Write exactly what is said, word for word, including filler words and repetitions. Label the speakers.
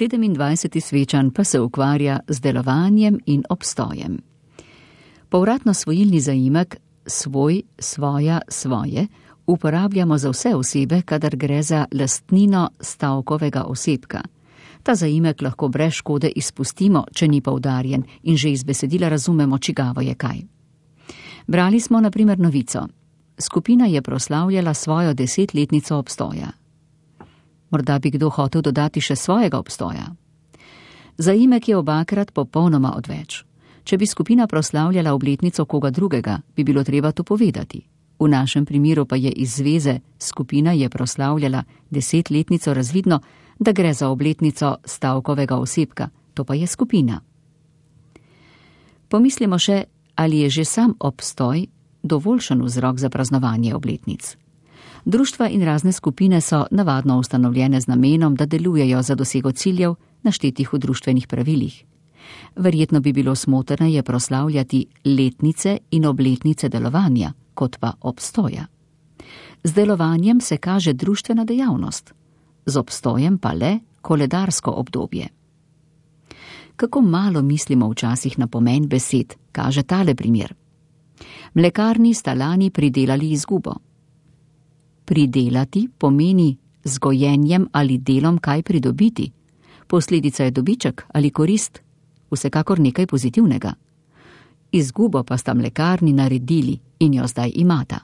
Speaker 1: sedemindvajseti svečan pa se ukvarja z delovanjem in obstojem. Povratno svojilni zaimek svoj, svoja, svoje uporabljamo za vse osebe, kadar gre za lastnino stavkovega osebka. Ta zaimek lahko brez škode izpustimo, če ni poudarjen in že iz besedila razumemo, čigavo je kaj. Brali smo na primer novico. Skupina je proslavljala svojo desetletnico obstoja. Morda bi kdo hotel dodati še svojega obstoja. Zaimek je obakrat popolnoma odveč. Če bi skupina proslavljala obletnico koga drugega, bi bilo treba to povedati. V našem primeru pa je iz zveze skupina je proslavljala desetletnico razvidno, da gre za obletnico stavkovega osebka, to pa je skupina. Pomislimo še, ali je že sam obstoj dovoljšen vzrok za praznovanje obletnic. Društva in razne skupine so navadno ustanovljene z namenom, da delujejo za dosego ciljev, naštetih v društvenih pravilih. Verjetno bi bilo smotrneje proslavljati letnice in obletnice delovanja, kot pa obstoja. Z delovanjem se kaže društvena dejavnost, z obstojem pa le koledarsko obdobje. Kako malo mislimo včasih na pomen besed, kaže tale primer. Mlekarni sta lani pridelali izgubo. Pridelati pomeni z gojenjem ali delom kaj pridobiti. Posledica je dobiček ali korist, vsekakor nekaj pozitivnega. Izgubo pa sta mlekarni naredili in jo zdaj imata.